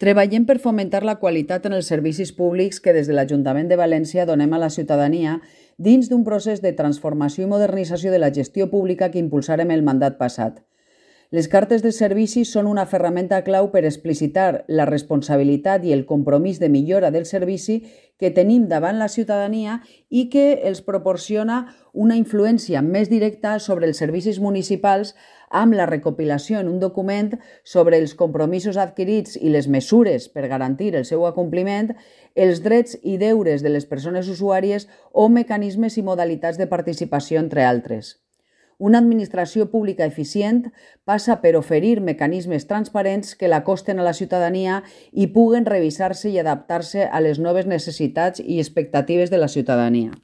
Treballem per fomentar la qualitat en els servicis públics que des de l'Ajuntament de València donem a la ciutadania dins d'un procés de transformació i modernització de la gestió pública que impulsarem el mandat passat. Les cartes de servicis són una ferramenta clau per explicitar la responsabilitat i el compromís de millora del servici que tenim davant la ciutadania i que els proporciona una influència més directa sobre els servicis municipals amb la recopilació en un document sobre els compromisos adquirits i les mesures per garantir el seu acompliment, els drets i deures de les persones usuàries o mecanismes i modalitats de participació, entre altres. Una administració pública eficient passa per oferir mecanismes transparents que l'acosten a la ciutadania i puguen revisar-se i adaptar-se a les noves necessitats i expectatives de la ciutadania.